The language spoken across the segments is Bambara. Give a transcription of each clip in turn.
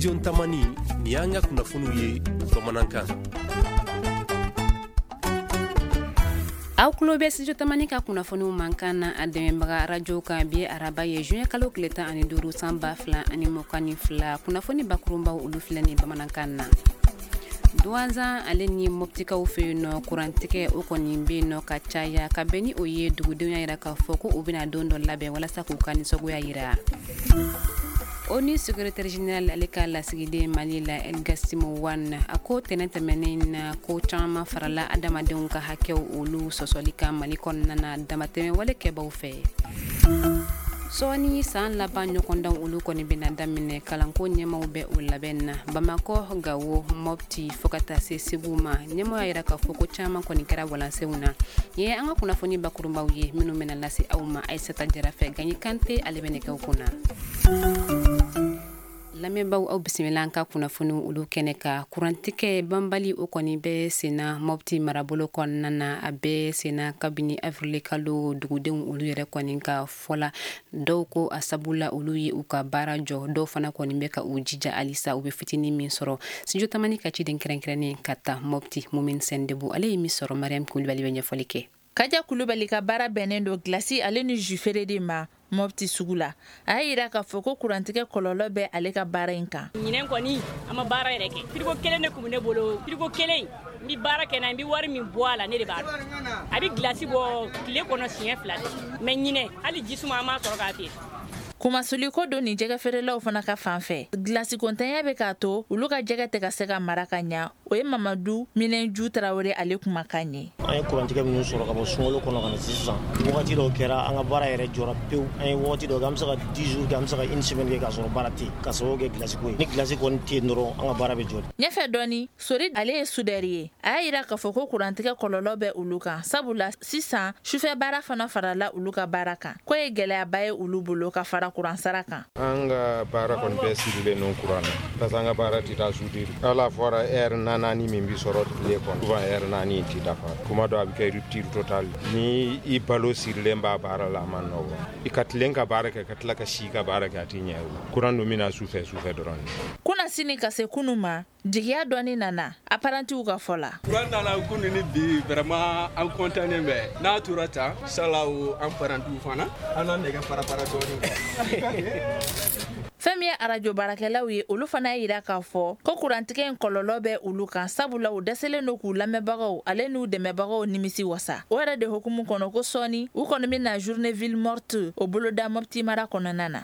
Studio Tamani, nin y'an ka kunnafoniw ye bamanankan. Aw tulo bɛ Studio Tamani ka kunnafoniw mankan na a dɛmɛbaga arajo kan. Bi araba ye juin kalo tile 15 san 2022. Kunnafoni bakurunbaw, olu filɛ nin bamanankan na. Duwanzan ale ni Mɔptikaw fɛ yen nɔ, kurantigɛ o kɔni bɛ yen nɔ ka caya. Ka bɛn ni o ye, dugudenw y'a yira k'a fɔ ko u bɛna don dɔ labɛn walasa k'u ka nisɔngoya yira. ONU secrétaire général ale ka lasigiden Mali la, El Gassim Wane, a ko tɛnɛ tɛmɛnen na ko caman farala adamadenw ka hakɛw olu sɔsɔli kan Mali kɔnɔna na damatɛmɛ wale kɛbaw fɛ. Sɔɔni, san laban ɲɔgɔndanw olu kɔni bɛna daminɛ. Kalanko ɲɛmaw bɛ o labɛn na Bamakɔ, Gawo, Mɔpti, fo ka taa se Segu ma. Ɲɛmaw y'a yira k'a fɔ ko caman kɔni kɛra walansenw na. Nin ye an ka kunnafoni bakurunbaw ye minnu bɛna lase aw ma Ayisata Jara fɛ. Gaɲi Kante ale bɛ nɛgɛw kunna. Lamɛnbaaw, aw bisimila an ka kunnafoniw olu kɛnɛ kan. Kurantigɛ banbali o kɔni bɛ senna Mɔpti marabolo kɔnɔna na. A bɛ senna kabini avril kalo. Dugudenw olu yɛrɛ kɔni ka fɔ la, dɔw ko a sabu la olu ye u ka baara jɔ, dɔw fana kɔni bɛ ka u jija halisa u bɛ fitinin min sɔrɔ. Studio Tamani ka ciden kɛrɛnkɛrɛnnen ka taa Mɔpti, Mumin Sɛndebu, ale ye min sɔrɔ, Mariam Kulibali bɛ ɲɛfɔli kɛ. Kaja Kulubali ka baara bɛnnen don gilasi ale ni jus feere de ma Mɔpti sugu la. A y'a yira k'a fɔ ko kurantigɛ kɔlɔlɔ bɛ ale ka baara in kan. Ɲinɛn kɔni, an ma baara yɛrɛ kɛ. Frigo kelen de tun bɛ ne bolo. Frigo kelen, n bɛ baara kɛ n'a ye, n bɛ wari min bɔ a la, ne de b'a dɔn. A bɛ gilasi bɔ tile kɔnɔ siɲɛ 2. Mais ɲinɛn, hali jisuma an m'a sɔrɔ k'a feere. Kumasuli ko don nin jɛgɛ feerelaw fana ka fan fɛ. Gilasi kontanya bɛ k'a to olu ka jɛgɛ tɛ ka se ka mara ka ɲa. O ye Mamadu Minɛnju Tarawele ale kumakan ye. An ye kurantigɛ minnu sɔrɔ ka bɔ sunkalo kɔnɔ ka na sisan, wagati dɔw kɛra an ka baara yɛrɛ jɔra pewu. An ye wagati dɔw kɛ, an bɛ se ka 10 jours kɛ, an bɛ se ka une semaine kɛ k'a sɔrɔ baara tɛ yen, ka sababu kɛ gilasi ko ye. Ni gilasi kɔni tɛ yen dɔrɔn, an ka baara bɛ jɔ. Ɲɛfɛ dɔɔni, Sori ale ye soudeur ye. A y'a yira k'a fɔ ko kurantigɛ kɔlɔlɔ bɛ olu kan, sabula sisan sufɛ baara fana farala olu ka baara kan, k'o ye gɛlɛyaba ye olu bolo ka fara kuran sara kan. An ka baara kɔni bɛɛ sirilen don kuran na, parce que an ka baara tɛ taa soudure. Ala fɔra heure naani min bɛ sɔrɔ tile kɔnɔ, souvent heure 4 in tɛ dafa. Kuma dɔ a bɛ kɛ rupture totale. Ni i balo sirilen b'a baara la, a man nɔgɔ. I ka tilen ka baara kɛ, ka tila ka si ka baara kɛ, a tɛ ɲɛ o. Kuran dun bɛ na sufɛ sufɛ dɔrɔn. Kunasini ka se kunu ma, jigiya dɔɔni nana apparentis ka fɔ la. Kuran nana kunu ni bi, vraiment an content bɛ. N'a tora tan, inshallah, an parantiw fana an na nɛgɛ fara fara dɔɔni. Fɛn min ye arajo baarakɛlaw ye, olu fana y'a yira k'a fɔ ko kurantigɛ in kɔlɔlɔ bɛ olu kan, sabula u dɛsɛlen don k'u lamɛnbagaw ale n'u dɛmɛbagaw nimisi wasa. O yɛrɛ de hukumu kɔnɔ, ko sɔɔni u kɔni bɛna journée ville morte o boloda Mɔpti mara kɔnɔna na.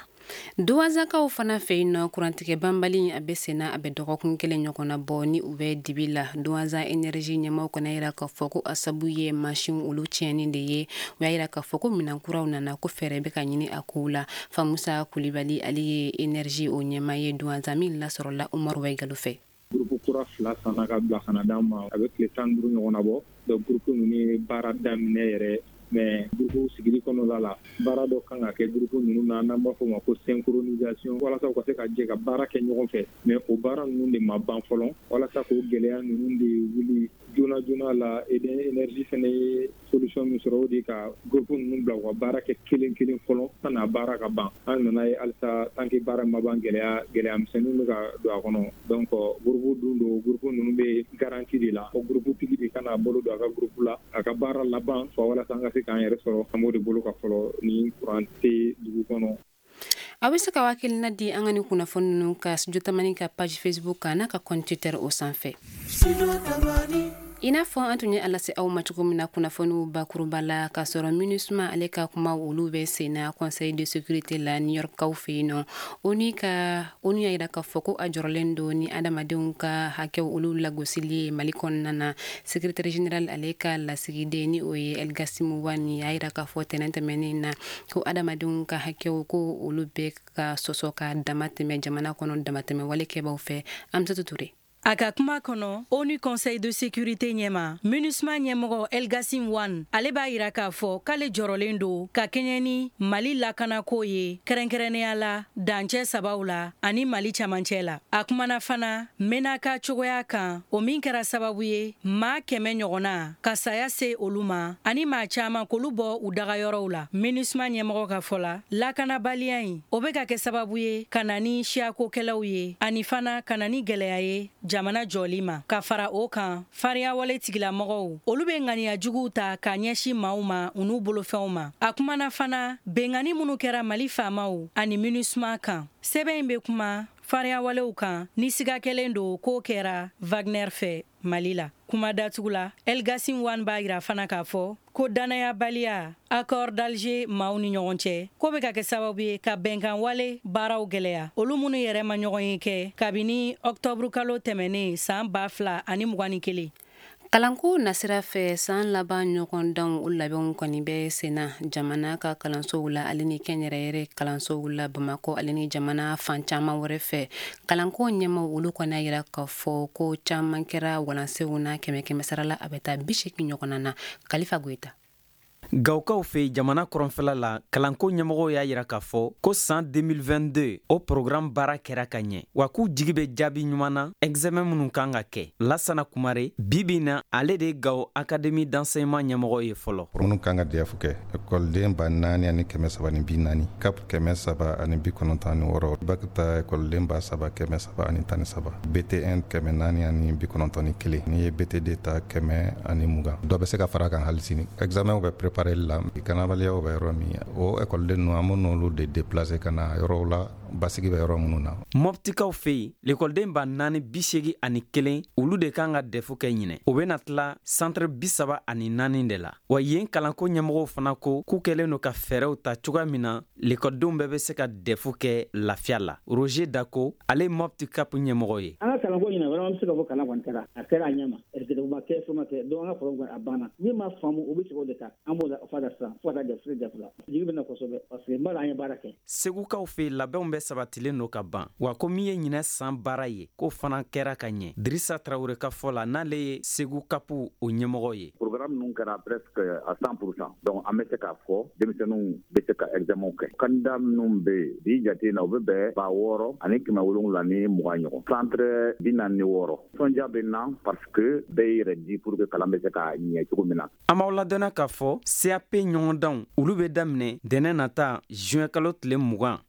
Duwanzakaw fana fɛ yen nɔ, kurantigɛ banbali a bɛ senna, a bɛ dɔgɔkun kelen ɲɔgɔnna bɔ ni u bɛ dibi la. Duwanza énergie ɲɛmaw kɔni yira k'a fɔ ko a sabu ye mansin olu tiɲɛni de ye. U y'a yira k'a fɔ ko minɛn kuraw nana, ko fɛɛrɛ bɛ ka ɲini a kow la. Famusa Kulibali, ale ye énergie o ɲɛma ye Duwanza, min lasɔrɔla Umaru Wayigalo fɛ. Groupe kura fila sanna ka bila ka na d'an ma, a bɛ tile 15 ɲɔgɔnna bɔ. Donc groupe ninnu ye baara daminɛ yɛrɛ, mais groupe sigili kɔnɔna la, baara dɔ kan ka kɛ groupe ninnu na n'an b'a fɔ o ma ko synchronisation, walasa u ka se ka jɛ ka baara kɛ ɲɔgɔn fɛ. Mais o baara ninnu de ma ban fɔlɔ. Walasa k'o gɛlɛya ninnu de wuli joona joona la, énergie fana ye solution min sɔrɔ, o de ka groupe ninnu bila u ka baara kɛ kelen kelen fɔlɔ san'a baara ka ban. An nana ye halisa, tant que baara ma ban, gɛlɛya gɛlɛya misɛnninw bɛ ka don a kɔnɔ. Donc groupe dun don, groupe ninnu bɛ garantie de la, fo groupe tigi de ka n'a bolo don a ka groupe la, a ka baara laban fɔ, walasa an ka se k'an yɛrɛ sɔrɔ. An b'o de bolo ka fɔlɔ ni kuran tɛ dugu kɔnɔ. Aw bɛ se ka hakilina di an ka ni kunnafoni ninnu ka Studio Tamani ka page Facebook kan n'a ka compte Twitter o sanfɛ. I n'a fɔ an tun ye a lase aw ma cogo min na kunnafoniw bakuruba la, k'a sɔrɔ MINUSMA ale ka kuma olu bɛ senna Conseil de sécurité la New York kaw fɛ yen nɔ, ONU ka ONU y'a jira k'a fɔ ko a jɔrɔlen don ni adamadenw ka hakɛw olu lagosili ye Mali kɔnɔna na. Secrétaire général ale ka lasigiden, ni o ye El Gassim Wane, y'a jira k'a fɔ tɛnɛn tɛmɛnen na ko adamadenw ka hakɛw ko olu bɛ ka sɔsɔ ka dama tɛmɛ jamana kɔnɔ damatɛmɛ wale kɛbaw fɛ. Amsatu Ture. A ka kuma kɔnɔ, ONU Conseil de sécurité ɲɛma, MINUSMA ɲɛmɔgɔ El Gassim Wane, ale b'a yira k'a fɔ k'ale jɔrɔlen don ka kɛɲɛ ni Mali lakanako ye, kɛrɛnkɛrɛnnenya la dancɛ sabaw la ani Mali camancɛ la. A kumana fana Menaka cogoya kan, o min kɛra sababu ye maa 100 ɲɔgɔnna ka saya se olu ma ani maa caman k'olu bɔ u dagayɔrɔw la. MINUSMA ɲɛmɔgɔ ka fɔ la, lakanabaliya in, o bɛ ka kɛ sababu ye ka na ni siyakokɛlɛw ye ani fana ka na ni gɛlɛya ye jamana jɔli ma. Ka fara o kan, fariyawale tigilamɔgɔw, olu bɛ ŋaniya juguw ta k'a ɲɛsin maaw ma u n'u bolofɛnw ma. A kumana fana benkanni minnu kɛra Mali faamaw ani MINUSMA kan. Sɛbɛn in bɛ kuma fariyawalew kan ni siga kɛlen don k'o kɛra Wagner fɛ Mali la. Kuma datugu la, El Gassim Wane b'a yira fana k'a fɔ ko danayabaliya accord d'Alger maaw ni ɲɔgɔn cɛ, k'o bɛ ka kɛ sababu ye ka bɛnkan wale baaraw gɛlɛya, olu minnu yɛrɛ ma ɲɔgɔn ye kɛ kabini octobre kalo tɛmɛnen san 2021. Kalanko nasira fɛ, san laban ɲɔgɔndanw, o labɛnw kɔni bɛ senna jamana ka kalansow la ale ni kɛnyɛrɛyɛrɛ kalansow la Bamakɔ ale ni jamana fan caman wɛrɛ fɛ. Kalanko ɲɛmaw, olu kɔni y'a yira k'a fɔ ko caman kɛra walansenw na, kɛmɛ kɛmɛ sara la, a bɛ taa 80 ɲɔgɔnna na. Kalifa Goyita. Gawukaw fɛ, jamana kɔrɔnfɛla la, kalanko ɲɛmɔgɔw y'a yira k'a fɔ ko san 2022, o programme baara kɛra ka ɲɛ, wa k'u jigi bɛ jaabi ɲuman na examen minnu kan ka kɛ. Lasana Kumare, bi na, ale de ye Gawo Académie d'enseignement ɲɛmɔgɔ ye fɔlɔ. Minnu kan ka DEF kɛ, ekɔliden 4340, CAP 396, bac ta ekɔliden 3313, BT1 491, n'i ye BTD ta 120. Dɔ bɛ se ka fara kan hali sini. Examen bɛ préparer la, kanabaliyaw bɛ yɔrɔ min, o ekɔliden ninnu, an bɛ n'olu de déplacer ka na yɔrɔw la, basigi bɛ yɔrɔ minnu na. Mɔptikaw fɛ yen, lekɔliden 4081, olu de kan ka DEF kɛ ɲinɛ. O bɛna tila centre 34 de la. Wa yen kalanko ɲɛmɔgɔw fana ko k'u kɛlen don ka fɛɛrɛw ta cogoya min na lekɔlidenw bɛɛ bɛ se ka DEF kɛ lafiya la. Roger Dako, ale ye Mɔpti CAP ɲɛmɔgɔ ye. An ka kalanko ɲinɛ, vraiment, an bɛ se ka fɔ kalan kɔni kɛra, a kɛra a ɲɛ ma, ma kɛ, fɛn ma kɛ. Donc an ka problème a banna. Min ma faamu, o bɛ segin o de kan. An b'o fa da sisan fo ka taa DEF la. Jigi bɛ na kosɛbɛ parce que n b'a dɔn an ye baara kɛ. Segukaw fɛ, labɛnw bɛ sabatilen don ka ban, wa ko min ye ɲinɛ san baara ye, k'o fana kɛra ka ɲɛ. Dirisa Tarawele ka fɔ la, n'ale ye Segu CAP o ɲɛmɔgɔ ye. Programme ninnu kɛra presque à 100%, donc an bɛ se k'a fɔ denmisɛnninw bɛ se ka examen kɛ. Candidat minnu bɛ yen bi jate na, u bɛ bɛn 6720 ɲɔgɔn, centre 46. Nisɔndiya bɛ n na parce que bɛɛ y'i yɛrɛ di pour que kalan bɛ se ka ɲɛ cogo min na. An b'aw ladɔnna k'a fɔ CAP ɲɔgɔndanw, olu bɛ daminɛ dɛnɛ nata, juin kalo tile 20.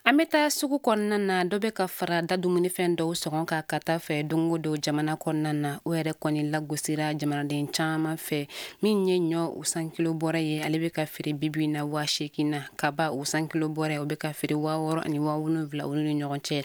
An bɛ taa sugu kɔnɔna na. Dɔ bɛ ka fara da dumunifɛn dɔw sɔngɔ kan ka taa fɛ don o don jamana kɔnɔna na. O yɛrɛ kɔni lagosira jamanaden caman fɛ. Min ye ɲɔ o 100 kilo bɔrɛ ye, ale bɛ ka feere bibi na 8000 na. Kaba o 100 kilo bɔrɛ, o bɛ ka feere 6000 ani 7000 olu ni ɲɔgɔn cɛ.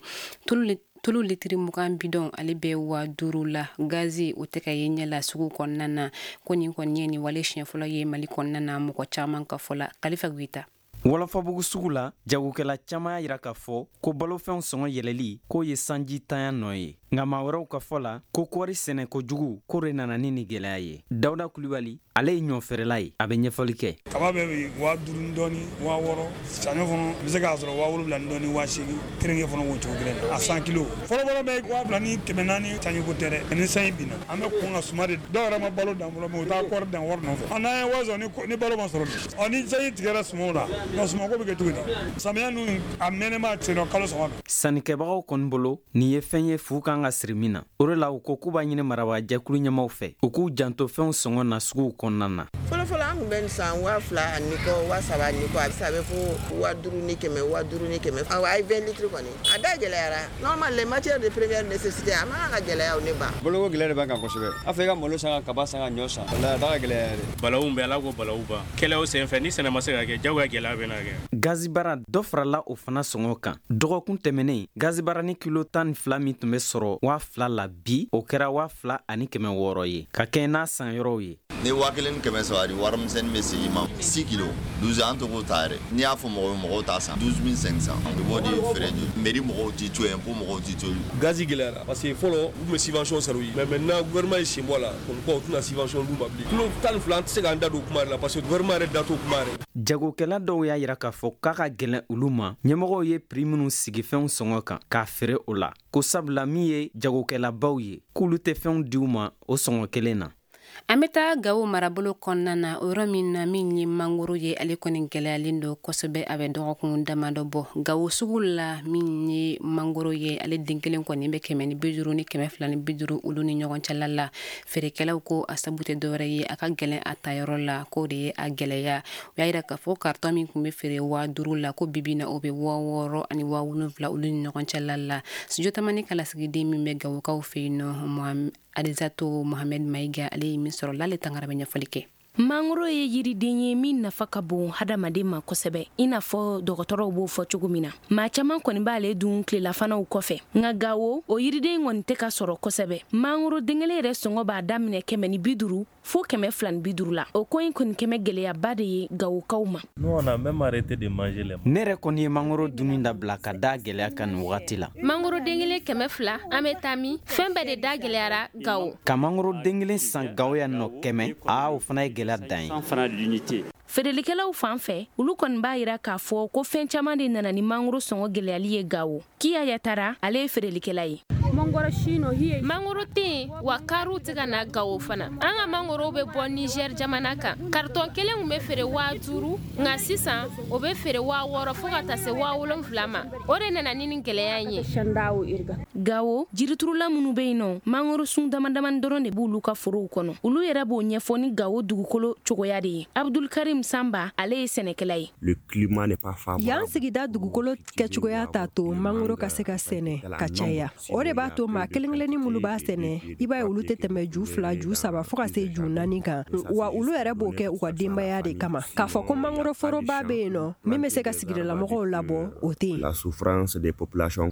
Tulu litiri 20 bidɔn, ale bɛ 5000 la. Gazi, o tɛ ka ye ɲɛ la sugu kɔnɔna na. Ko nin kɔni ye nin wale siɲɛ fɔlɔ ye Mali kɔnɔna na, mɔgɔ caman ka fɔ la. Kalifa Goyita. Wɔlɔfɔbugu sugu la, jagokɛla caman y'a yira k'a fɔ ko balofɛnw sɔngɔ yɛlɛli, k'o ye sanji tanya nɔ ye. Nka maa wɛrɛw ka fɔ la, ko kɔɔri sɛnɛ kojugu, k'o de nana ni nin gɛlɛya ye. Dawuda Kulibali, ale ye ɲɔfeerela ye, a bɛ ɲɛfɔli kɛ. Kaba bɛ 5000 ni dɔɔni, 6000. Saɲɔ fana bɛ se k'a sɔrɔ 7000 ni dɔɔni, 8000. Keninge fana o cogo kelen na, a 100 kilo fɔlɔfɔlɔ bɛ 2400. Sanji ko tɛ dɛ, ni sanji binna, an bɛ kɔn ka suma de. Dɔw yɛrɛ ma balo dan fɔlɔ, mais u taa kɔɔri dan wari nɔfɛ. N'an ye wari sɔrɔ, ni balo ma sɔrɔ, ɔ ni sanji tigɛra sumaw la, nka sumako bɛ kɛ cogo di? Samiya ninnu a mɛnɛma sen kalo 3. Sannikɛbagaw kɔni bolo, nin ye fɛn ye fu kan ka siri min na. O de la u ko k'u b'a ɲini marabaajɛkulu ɲɛmaw fɛ, u k'u janto fɛnw sɔngɔ na suguw kɔnɔna na. Fɔlɔfɔlɔ, an tun bɛ nin san 2000 ani kɔ, 3000 ni kɔ. A bɛ se a bɛ fo 5100, 5100. Awɔ, a ye 20 litres kɔni, a da gɛlɛyara. Normal, les matières de première nécessité, a man kan ka gɛlɛya o ne ba. Boloko gɛlɛya de b'an kan kosɛbɛ. A fɔ i ka malo san, ka kaba san, ka ɲɔ san, walahi a da ka gɛlɛya yɛrɛ. Balawu bɛ, Ala ko balawu ban. Kɛlɛw senfɛ, ni sɛnɛ ma se ka kɛ, jagoya gɛlɛya bɛ na kɛ. Gazibara, dɔ farala o fana sɔngɔ kan. Dɔgɔkun tɛmɛnen, gazibara ni kilo 12 min tun bɛ sɔrɔ 2000 la, bi o kɛra 2600 ye, ka kɛɲɛ n'a san yɔrɔw ye. Ni 1300 di wari. Warimisɛnnin bɛ segin i ma 6 kilos 12 an tɛ k'o ta yɛrɛ. N'i y'a fɔ mɔgɔ ye, mɔgɔw t'a san. 12 500, i b'o de feere joli? Mairie mɔgɔw t'i to yen, impôt mɔgɔw t'i to yen. Gazi gɛlɛyara parce que fɔlɔ u tun bɛ subvention sara u ye, mais maintenant gouvernement ye sen bɔ a la, comme quoi u tɛna subvention d'u ma bilen. Kilo 12, an tɛ se k'an da don o kuma yɛrɛ la parce que gouvernement yɛrɛ da t'o kuma yɛrɛ. Jagokɛla dɔw y'a yira k'a fɔ k'a ka gɛlɛn olu ma, ɲɛmɔgɔw ye prix minw sigi fɛnw sɔngɔ kan k'a feere o la, ko sabula min ye jagokɛlabaw ye, k'olu tɛ fɛnw di u ma o sɔngɔ kelen na. An bɛ taa Gawo marabolo kɔnɔna na, o yɔrɔ min na, min ye mangoro ye, ale kɔni gɛlɛyalen don kosɛbɛ. A bɛ dɔgɔkun damadɔ bɔ Gawo sugu la, min ye mangoro ye, ale den kelen kɔni bɛ 150 ni 250 olu ni ɲɔgɔn cɛla la. Feerekɛlaw ko a sabu tɛ dɔwɛrɛ ye, a ka gɛlɛn a tayɔrɔ la, k'o de ye a gɛlɛya. U y'a yira k'a fɔ carton min tun bɛ feere 5000 la, ko bibi na o bɛ 6000 ani 7000 olu ni ɲɔgɔn cɛla la. Studio Tamani ka lasigiden min bɛ Gawokaw fɛ yen nɔ, Adizato Mohamed Mayiga, ale ye min sɔrɔ l'ale tangara bɛ ɲɛfɔli kɛ. Mangoro ye yiriden ye min nafa ka bon hadamaden ma kosɛbɛ, i n'a fɔ dɔgɔtɔrɔw b'o fɔ cogo min na. Maa caaman kɔni b'ale dun tilelafanaw kɔfɛ, nka Gawo, o yiriden kɔni tɛ ka sɔrɔ kosɛbɛ. Mangoro den kelen yɛrɛ sɔngɔ b'a daminɛ 150 fo 250 la. O ko in kɔni kɛmɛ gwɛlɛyaba de ye Gawokaw ma. Ne yɛrɛ kɔni ye mangoro dunni dabila ka da gɛlɛya kan nin wagati la. Mangoro den kelen 200, an bɛ taa min? Fɛn bɛɛ de da gwɛlɛyara Gawo. Ka mangoro den kelen san Gawo yan nɔ 100, aa, o fana ye gɛlɛya dan ye. Feerelikɛlaw fan fɛ, olu kɔni b'a yira k'a fɔ ko fɛn caman de nana ni mangoro sɔngɔ gwɛlɛyali ye Gawo. Kiya Yatara, ale ye feerelikɛla ye. Mangoro tɛ yen wa, kariw tɛ ka na Gawo fana. An ka mangorow bɛ bɔ Niger jamana kan. Karitɔn kelen tun bɛ feere 5000, nka sisan o bɛ feere 6000 fo ka taa se 7000 ma. O de nana ni nin gɛlɛya in ye. Gawo, jiriturula minnu bɛ yen nɔ, mangoro sun dama damani dɔrɔn de b'olu ka forow kɔnɔ. Olu yɛrɛ b'o ɲɛfɔ ni Gawo dugukolo cogoya de ye. Abdulkarim Sanba, ale ye sɛnɛkɛla ye. Yan sigida dugukolo kɛcogoya t'a to mangoro ka se ka sɛnɛ ka caya. O de b'a to maa kelen kelenni minnu b'a sɛnɛ, i b'a ye olu tɛ tɛmɛ ju fila, ju saba, fo ka se ju naani kan. Wa olu yɛrɛ b'o kɛ u ka denbaya de kama. K'a fɔ ko mangoro foroba bɛ yen nɔ min bɛ se ka sigidalamɔgɔw labɔ, o tɛ yen.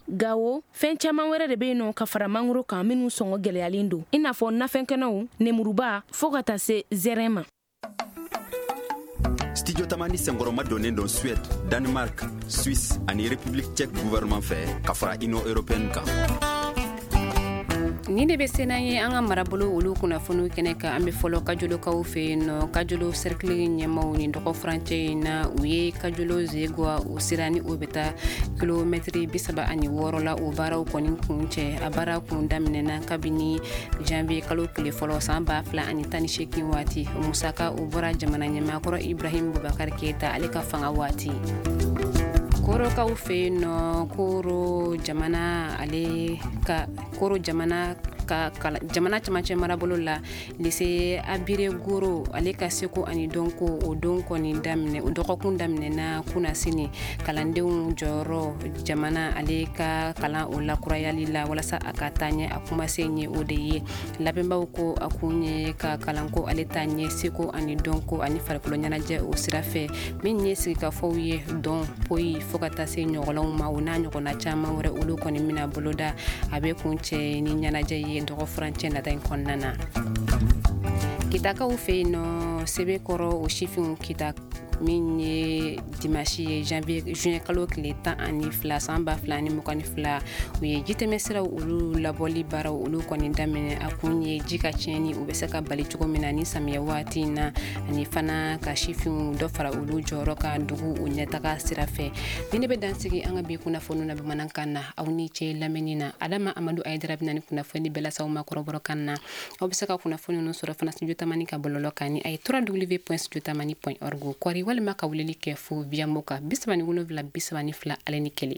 Gawo, fɛn caman wɛrɛ de bɛ yen nɔ ka fara mangoro kan minnu sɔngɔ gɛlɛyalen don, i n'a fɔ nafɛnkɛnɛw, nemuruba, fo ka taa se zɛrɛn ma. Studio Tamani senkɔrɔma donnen don Suède, Danemark, Suisse ani République tchèque gouvernement fɛ, ka fara Union européenne kan. Nin de bɛ se n'an ye an ka marabolo olu kunnafoniw kɛnɛ kan. An bɛ fɔlɔ Kajolokaw fɛ yen nɔ. Kajolo cercle ɲɛmaw, ni dɔgɔ furancɛ in na, u ye Kajolo Zegwa o sira ni o bɛ taa kilomɛtiri 36 la, o baaraw kɔni kun cɛ. A baara kun daminɛna kabini janvier kalo tile fɔlɔ san 2018 waati. O musaka, o bɔra jamana ɲɛmaakɔrɔ Ibrahim Bubakar Keyita, ale ka fanga waati. Korokaw fɛ yen nɔ, Koro jamana, ale ka Koro jamana ka jamana camancɛ marabolo la, lycée Abire Goro, ale ka seko ani dɔnko, o don kɔni daminɛ, o dɔgɔkun daminɛna kunasini. Kalandenw jɔyɔrɔ jamana ale ka kalan o lakurayali la walasa a ka taa ɲɛ, a kumasen ye o de ye. Labɛnbaw ko a kun ye ka kalanko ale taa ɲɛ seko ani dɔnko ani farikolo ɲɛnajɛ o sira fɛ, min ye sigikafɔw ye, dɔn poyi, fo ka taa se ɲɔgɔnw ma, o n'a ɲɔgɔnna caman wɛrɛ, olu kɔni bɛna boloda. A bɛ kun cɛ ni ɲɛnajɛ ye dɔgɔ furancɛ nata in kɔnɔna na. Kitakaw fɛ yen nɔ, Sɛbɛkɔrɔ, o sifinw Kita, min ye dimanche ye, janvier, juin kalo tile 12 san 2022, u ye jitɛmɛ siraw olu labɔli baaraw olu kɔni daminɛ. A kun ye ji ka tiɲɛni u bɛ se ka bali cogo min na ni samiya waati in na, ani fana ka sifinw dɔ fara olu jɔyɔrɔ kan dugu o ɲɛtaga sira fɛ. Ni ne bɛ dansigi an ka bi kunnafoniw na bamanankan na. Aw ni ce lamɛnni na. Adama Amadu Ayidara bɛna ni kunnafoni bɛɛ lase aw ma kɔrɔbɔrɔkan na. Aw bɛ se ka kunnafoni ninnu sɔrɔ fana Studio Tamani ka bɔlɔlɔ kan ni a ye www.studiotamani.org kɔri, walima ka weleli kɛ fo Viamo kan 37 32 ale ni 1.